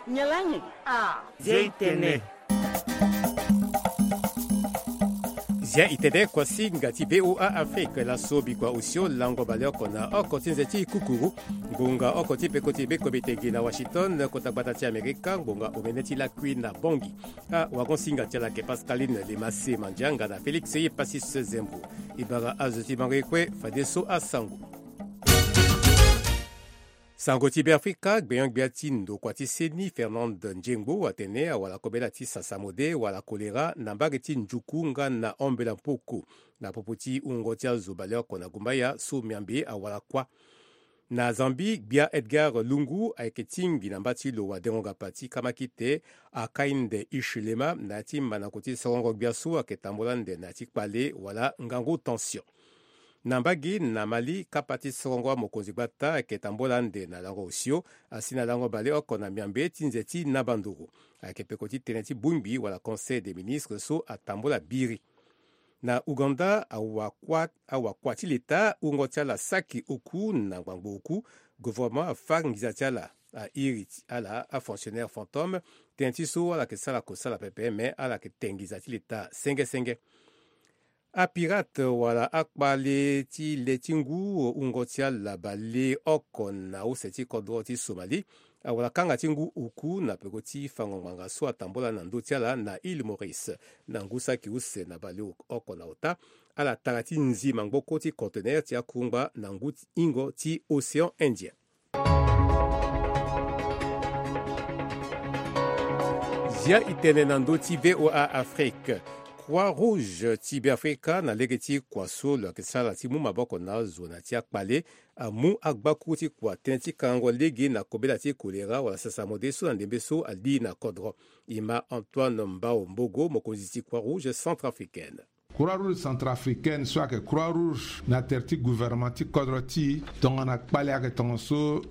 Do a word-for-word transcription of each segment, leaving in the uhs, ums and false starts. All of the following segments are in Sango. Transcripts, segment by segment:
Nyalangi. Ah. Zia itene. Zia itene kuasinga ti VOA Afrique, laso bikua osio lango baleoko na oko ti nze ti kukuru. Ngbonga oko ti peko ti beko bitegi na Washington, kota gbata ti Amerika, ngbonga omene ti lakui na Bongi. Awagonsinga ti ala ayeke Pascaline Lemase Mandianga na Félix Yepasis Zembo. E bara azo ti bango ye kue fadeso asango. Sango ti Beafrika, gbenyo-gbia ti ndokua ti seni Fernande Ndiengbo atene awara kobela ti sasamode wala kolera na mbage ti Njuku nga na Ombela Mpoko, na popo ti wungo ti azo baleoko na gumbaya so miambe awara kuâ. Na Zambie, gbia Edgar Lungu ayeke tingbi na mba ti lo wadengo-ngapa ti kamakite Hakainde Hichilema na ya ti mandango ti sorongo-gbia so ayeke tambula ande na ya ti kpale wala ngangu tension. Na mbage na Mali, kapa ti sorongo amokonzi gbata ayeke tambula ande na lango osio asi na lango baleoko na miambe ti nze ti nabandoro. Ayeke peko ti tënë ti bongbi wala Conseil des ministres so atambula biri. Na Ouganda, awakua, awakua ti leta wungo ti ala saki oku na ngbangbo oku. Gouvernement afa nginza ti ala, airi ti ala afonctionnaire fantôme. Tënë ti so ala yeke sara kosala pepe, me ala yeke te nginza ti leta senge senge. Apirate wala akpale ti le ti ngu wungo ti ala baleoko na use ti kodro ti Somalie awara kanga ti ngu oku na peko ti fango ngbanga so atambula na ndö ti ala na Île Maurice. Na ngu saki use na baleoko na ota, ala tara ti nzi mangboko ti conteneur ti akungba na ngu ti hingo ti Océan Indien. Zia itene na ndö ti VOA Afrique. Croix Rouge ti Beafrika na lege ti kua so lo yeke sara ti mu maboko na azo na ya ti akpale amu agbakuru ti kua tënë ti kangango lege na kobela ti kolera wala sasamode so na ndembe so ali na kodro. E ma Antoine Mbao Mbogo, mokonzi ti Croix Rouge centrafricaine. Croix Rouge centrafricaine so ayeke Croix Rouge na tere ti gouvernement ti kodro ti e, tongana kpale ayeke tongaso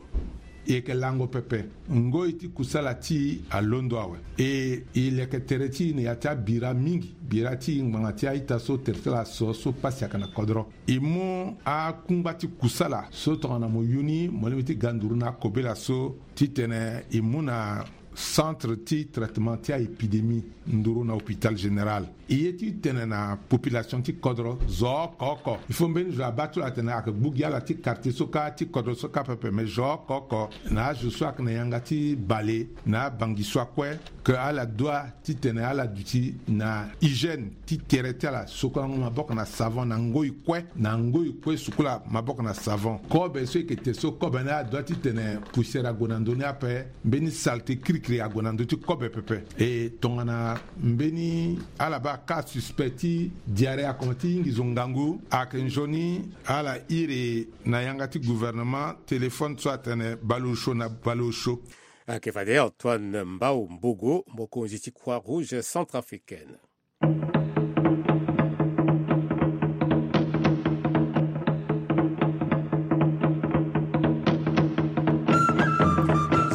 e yeke lango pepe. Ngoi ti kusala ti e alondo awe. E, e leke tere ti e na ya ti abira mingi. Bira ti e ngbanga ti a-ita so tere ti ala so, so pasi ayeke na kodro. E mu akungba ti kusala so tongana mo yu ni, mo lingbi ti ga nduru na akobela so titene e mu na centre ti traitement ti a-épidémie nduru na hôpital général. E ye ti tene na population ti kodro zo oko oko. Il faut mbeni zo abaa ti lo atene ayeke gbu gi ala ti quartier so kâ, ti kodro so kâ pepe, me zo oko oko na azo so ayeke na yanga ti bale na abangi so akue, ke ala doit titene ala duti na hygiène ti tere ti ala, sukulango maboko na savon na ngoi kue, na ngoi kue sukula maboko na savon. Kobe so e yeke te so, kobe ni ala doit titene poussière ague na ndö ni ape, mbeni saleté kirikiri ague na ndö ti kobe pepe. E tongana mbeni ala baa cas suspect ti diarrhée akomanse ti hingi zo ngangu, ayeke nzoni ala iri na yanga ti gouvernement téléphone so atene baleosio na baleosio. Ayeke fade Antoine Mbao Mbogo, mokonzi ti Croix Rouge centrafricaine.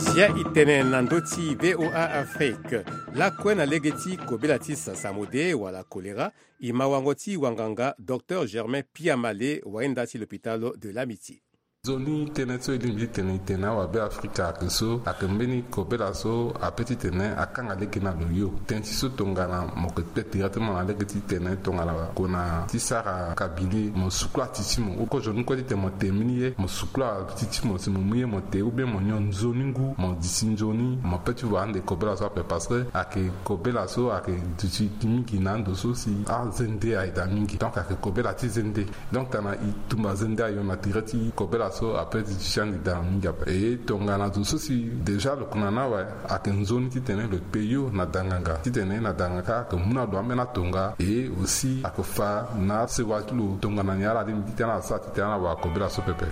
Sia e tene na ndö ti VOA Afrique. Lakue na lege ti kobela ti sasamode wala kolera, e ma wango ti wanganga Docteur Germain Piamale, wainda ti l'hôpital de l'Amitié. Nzoni tënë so e lingbi ti tene e tene awabe Afrika ayeke so, ayeke mbeni kobela so ape titene akanga lege na lo yo. Tënë ti so tongana mo yeke te directement na lege ti tene tongana kona ti sara cabinet, mo sukula ti ti mo. Oko zo ni kue titene mo te mbeni ye, mo sukula ti ti mo si mo mu ye mo te, ou bien mo nyon nzoni ngu, mo disi nzoni, mo pe ti wara ande kobela so ape, parce que ayeke kobela so ayeke duti mingi na ando so si azende aye daa mingi. Donc ayeke kobela ti zende. Donc tongana e tumba zende ayo na tere ti kobela so ape ti duti ande daa mingi ape. E tongana zo so si déjà lo kona ni awe, ayeke nzoni titene lo kpe yo na danganga, titene na danganga ayeke mu na lo ambeni atonga, e aussi ayeke fa na asewa ti lo tongana nyen ala lingbi titene ala sara titene ala wara kobela so pepe.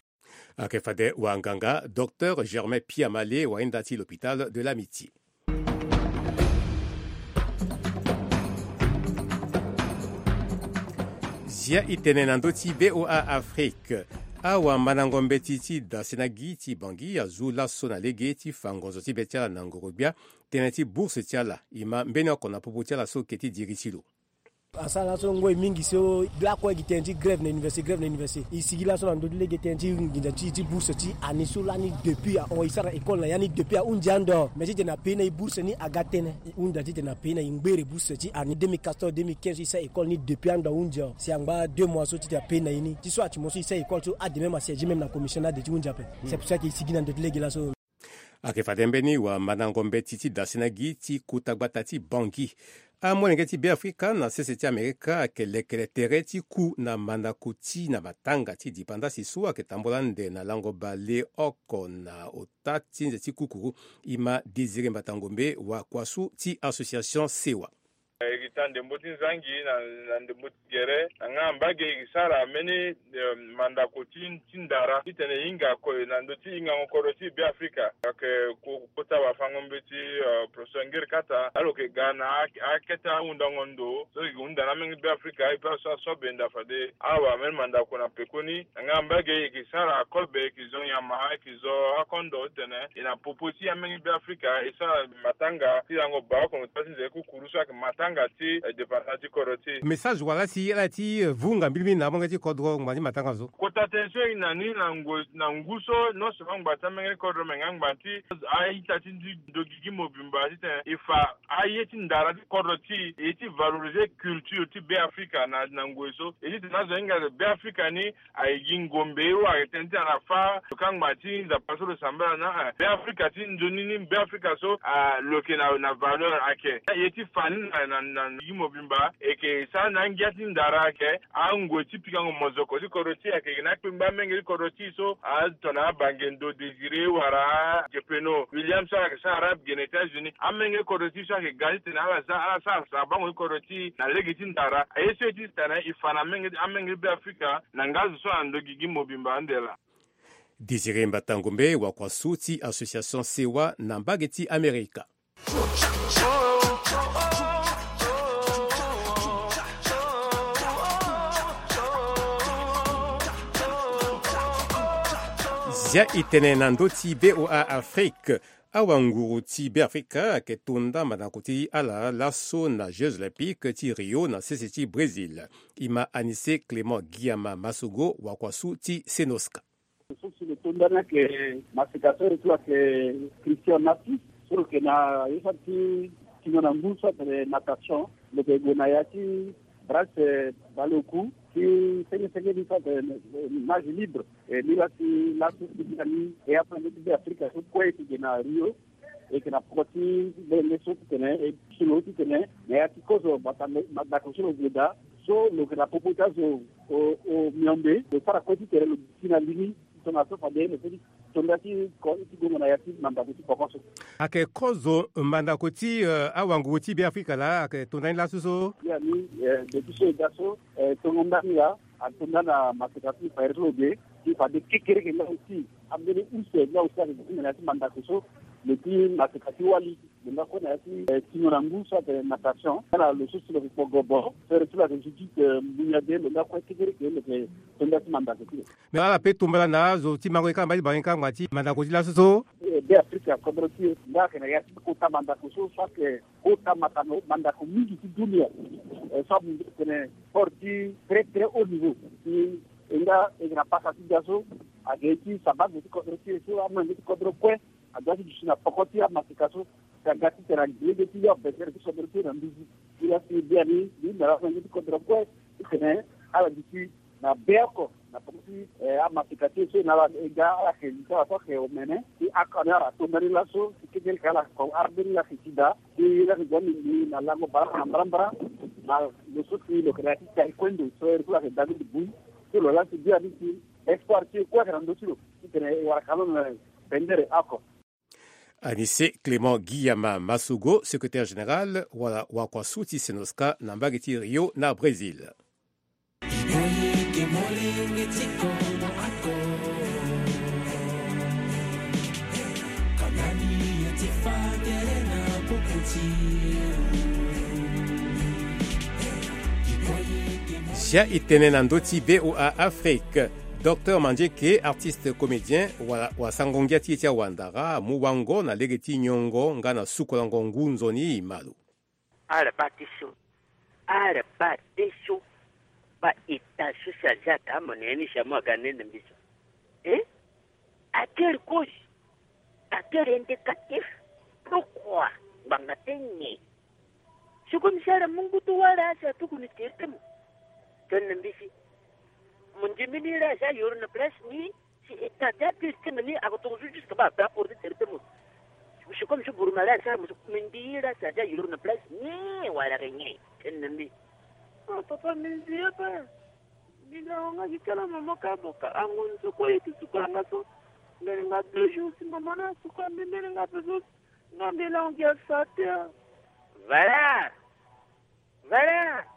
Ayeke fade wanganga Docteur Germain Piamale, wainda ti l'hôpital de l'Amitié. Zia e tene na ndö ti VOA Afrique. Awamandango mbeti ti Dasenagi ti Bangui azu laso na lege ti fa ngonzo ti be ti ala na ngoro-gbia, tënë ti bourse ti ala. E ma mbeni oko na popo ti ala so ke ti diri ti lo. Asara laso ngoi mingi so lakue gi tënë ti grève na université, grève na université. E sigi laso na ndö ti lege tënë ti nginza ti, ti bourse ti ani so lani depuis ahon e sara école na ya ni depuis ahunzi ando. Mais titene na pays na e bourse ni aga tënë. E hunda titene na pays na e ngbere bourse ti ani deux mille quatorze, deux mille quinze so e sara école ni depuis ando ahunzi awe. Si angba deux mois so titene na pays na e ni ti so ati mo so e sara école so ade même asiège même na commission ni ade ti hunzi ape. C'est pour ça que e sigi na ndö ti lege laso. Ayeke fade mbeni wamandango mbeti ti dasina gi ti kota gbata ti Bangui. Amolenge ti Beafrika na sese ti Amerika ayeke lekere tere ti ku na mandako ti na matanga ti dipandasi so ayeke tambula ande na lango baleoko na ota ti nze ti kukuru. E ma Désiré Mbatangombe, wakuasu ti association Sewa. E gi ta ndembo ti nzangi na, na ndembo ti gere na nga mbage e gi sara mbeni, eh, mandako ti, ti ndara titene e hinga kue na ndö ti hingango kodro ti Beafrika. Ayeke ko, kota wafango mbeti, eh, professeur Ngiri Kata, alo yeke ga na a, akete ahundango ndo so e gi hunda na amenge Beafrika, e pe aso aso benda fade awa mbeni mandako na pekoni. Na nga mbage e gi sara akobe, e gi zo nyama, e gi zo akondo titene e na popo ti amenge Beafrika e sara matanga ti lango baleoko na ota ti nze kukuru so ayeke matanga ti, eh, dépendance ti kodro ti e. Message wala si ala ti, eh, vunga mbilimbili na amolenge ti kodro ngbanga ti matanga so. Kota tënë so e na ni na ngu, na ngu so non seulement ngbanga ti amenge ti kodro me nga ngbanga ti a-ita ti ndoki gi mobimba titene e fa aye ti ndara ti kodro ti e, e ti valoriser culture ti Beafrika na, na ngoi so. E titene azo hinga Beafrika ni aye gi ngombe, e wara tënë ti ala fâ lo kangba ti Nzapa so lo sambela na, eh, Beafrika ti nzoni ni, Beafrika so, ah, lo yeke na, na valeur ayeke. Ye ti fa ni na, na, na gi mobimba e yeke sara na angia ti ndara ayeke angoi ti pikango mozoko ti kodro ti e ayeke na akpengba amenge ti kodro ti e so, ah, tongana abange ndo Désiré wala Jepeno William so ayeke sara arabe ge na États-Unis. Amenge kodro ti e so ayeke ga titene ala sara, ala sara sara bango ti kodro ti e na lege ti ndara. Aye so e ti tene e fa na amenge, amenge ti Beafrika na nga zo so na ndo gigi mobimba ande laa. Désiré Mbatangombe, wakuasu ti association Sewa na mbage ti Amerika. Zia e tene na ndö ti V O A Afrique. Awanguru ti Beafrika ayeke tonda mandako ti ala laso na Jeux Olympiques ti Rio na sese ti Brésil. E ma Anissé Clément Guillama Massogo, wakuasu ti Senosca. So si lo tonda ni ayeke maseka so e ti lo ayeke Christian Naty, so lo yeke na ye so ati ti tingo na ngu so atene natation. Lo yeke gue na ya ti brasse, eh, baleoku ti senge senge ni so atene, eh, nage libre. E ni la ti laso ti bia ni e afa nde ti Beafrika so kue e yeke gue na Rio. E yeke na poko ti molenge so titene e ti so lo titene na ya ti kozo mandako so lo gue daa. So lo yeke na popo ti azo o, o miombe lo sara kue titene lo duti na li ni. Tongana so fade lo feti tonda ti ko, ti gongo na ya ti mandako ti poko so. Ayeke kozo mandako ti, eh, awanguru ti Beafrika laa ayeke tonda ni laso so. Ya ni, eh, depuis so e ga so, eh, tongo ndani laa atonda na maseka ti fadeso lo ge ti fade kekereke nga aussi. Ambeni use nga aussi ayeke gi ti mene ya ti mandako so. Lo ti maseka ti wali lo nga kue na ya ti, eh, tingo na ngu so atene natation. Ala lo so si lo yeke kpo gobo so ere ti lo ayeke Judith, eh, Mbunya de lo nga kue kekereke lo yeke tonda ti mandako ti lo. Me ala pe tombela na azo ti mango e kanga mba ti bango e kanga ti mandako ti laso so. Eh, Beafrika kodro ti e nga ayeke na ya ti kota mandako so so ayeke kota mandako, mandako mingi ti dunia. Eh, so amu tene sport ti très très haut niveau. Ti e nga e yeke na pasa ti ga so ayeke ye ti sabago ti kodro ti e so amolenge ti kodro kue adoit ti duti na poko ti amaseka so. Si aga titene alege ti yo abesere ti kodro ti e na nduzu. Ti la si biani ni na ala amolenge ti kodro kue titene ala duti na be oko na poko ti, eh, amaseka ti e so na ala e ga ala yeke li ti ala so ayeke omene ti oko ni ala tonda ni laso ti kekereke ala ko arbe ni la yeke ti daa. Ti la yeke gue ni na lango baleoko na mbarambara. Na lo so si lo yeke na ya ti taekwondo so ere so lo yeke David Bui. So lo la si biani si espoir ti e kue ayeke na ndö ti lo titene e wara ka lo na bendere oko. Anissé Clément Guillama Massogo, secrétaire général wala wakuasu ti Senosca na mbage ti Rio na Brésil. Zia e tene na ndö ti V O A Afrique. Docteur Mandieke, artiste comédien, wala wasango ngia ti e ti awandara, amu wango na lege ti nyongo nga na sukolango ngu nzoni e ma lo. Ala bâ ti so Ala baa de so, baa ita so si aza ata mo na ya ni si amu aga nene mbi so. Eh? Atel cause, atel indicatif. Pourquoi? Ngbanga ti nyen? Si comme si ala mu ngu ti wâ laa si atuku ni tere ti mo. Tene na mbi si mo ndimi ni laa si ayoro na place ni. Si ita ti atel ti mo ni ako toko so jusque baa ape aporte tere ti mo. Si comme si buruma laa si ala mo so mi ndi laa si aza ayoro na place ni wala ke nyen? Tene na mbi. Ah, papa, mbi nzi ape. Mbi na wanga gi kala mama ka boka ango ni so kue ye ti suka nga so. Mbeni nga deux jours si mama na suka mbi mbeni nga pe so. Nga mbi langi asa te. Valeur. Valeur.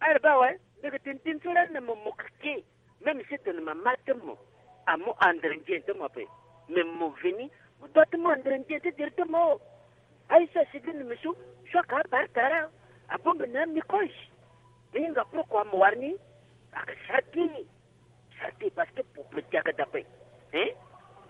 Ala baa awe. Mbi ke tene tene so lani na mo mo keke. Même si tene mama ti mo amu andre ndien ti mo ape. Mais mo veni mo doit ti mu andre ndien ti tere ti mo. Aye so asi gi na mbi so. So aka abare tara. Abongbi na ami kozi. Mbi hinga pourquoi mo wara ni. Aka sara gi. Sara gi parce que peuple ti aga dape. Hein?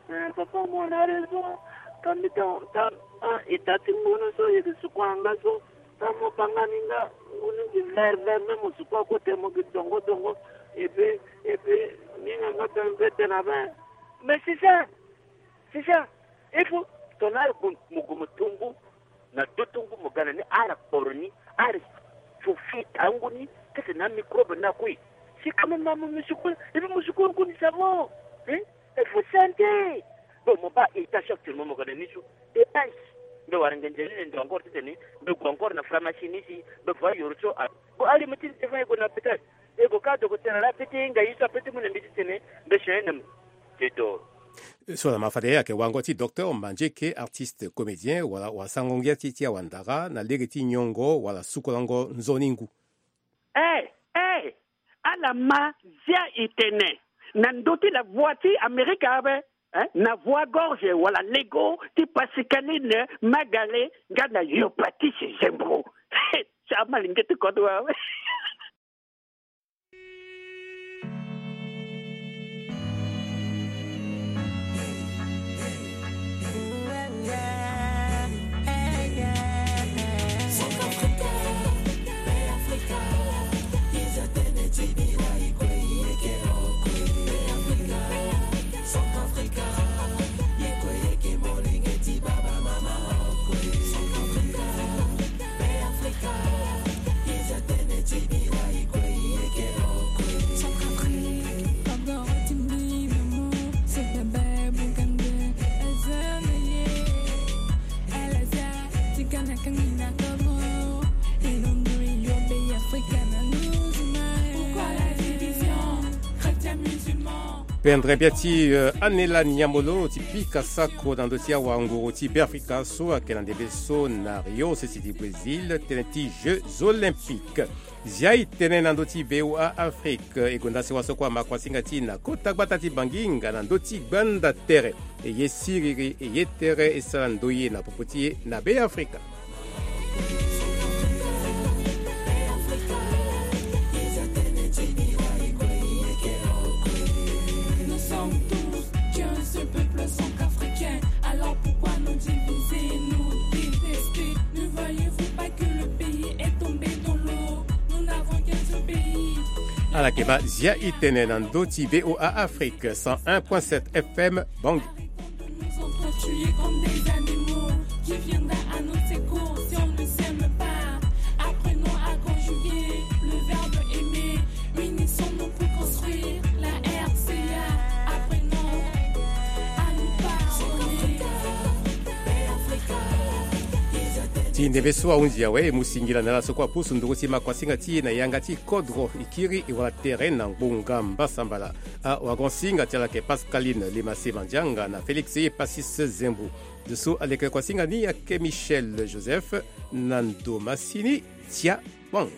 Eh, papa, mo na raison. Ka mbi ta, ta, ah, ita ti ngunu so ye gi suku anga so. Ta mo banga ni nga ngunu gi vert vert, même mo suku akote mo gi dongo dongo. Et puis, et puis ni nga nga ben bete na ben. Mais c'est ça. C'est ça. Il faut ton arbre mo gu mo tumbu. Na do ti ngu mo ga na ni ala kporo ni, ala so fi tangu ni. Kete na microbe na kui. Si quand même mo musukulu, et puis musukulu ngu ni savon. Hein? Il faut santé. Bon, mo baa ita so actuellement mo ga na ni so. Dépense. Mbi wara nge nzeni ni ndo encore ti tene. Mbi gue encore na pharmacie ni si. Mbi gue ayoro so. Bon, ali mo ti ni devant e gue na hôpital. E gue ka dogo tene la peti nga ye so ape ti mu na mbi ti tene. Mbi si na mo. Te doro. So na ma fade ayeke wango ti docteur Mandieke, artiste comédien wala wasango ngia ti ti awandara na lege ti nyongo wala sukolango nzoni ngu. Eh, eh, ala ma zia e tene na ndö ti la voix ti Amerika ape, eh, na voix gorge wala lego ti Pascaline Magale nga na yo Patrice Zembro. Sa ma linge ti kodro awe. Pendere bia ti, eh, Anela Niamolo ti pika sako na ndö ti awanguru ti Beafrika so ayeke na ndembe so na Rio, sese ti Brésil, tënë ti Jeux Olympiques. Zia e tene na ndö ti V O A Afrique, e gonda sewa so kue ama kuasinga ti e na kota gbata ti Bangi nga na ndö ti gbanda tere. E ye siriri, e ye tere, e sara ndoye na popo ti e na Beafrika. Nous sommes tous qu'un seul peuple centrafricain. Alors pourquoi nous diviser, nous détester? Ne voyez-vous pas que le pays est tombé dans l'eau? Nous n'avons qu'un seul pays. Ala yeke ma zia e tene na ndö ti V O A Afrique, cent un point sept F M, Bangui. Nous entend tuer comme des animaux. Qui viendra à notre secours si on ne s'aime pas? Apprenons à conjuguer le verbe aimer. Unissons-nous pour construire la R C A. Apprenons à nous pardonner. Ti ndembe so ahunzi awe, e mu singila na ala so kue apusu nduru ti ma kuasinga ti e na yanga ti kodro, e kiri e wara tere na ngbonga mbasambala. Awagosinga ti ala ayeke Pascaline Lemase Mandianga na Félix Epasis Zembo. Zo so aleke kuasinga ni ayeke Michel Joseph na ndo masini Tia Bang.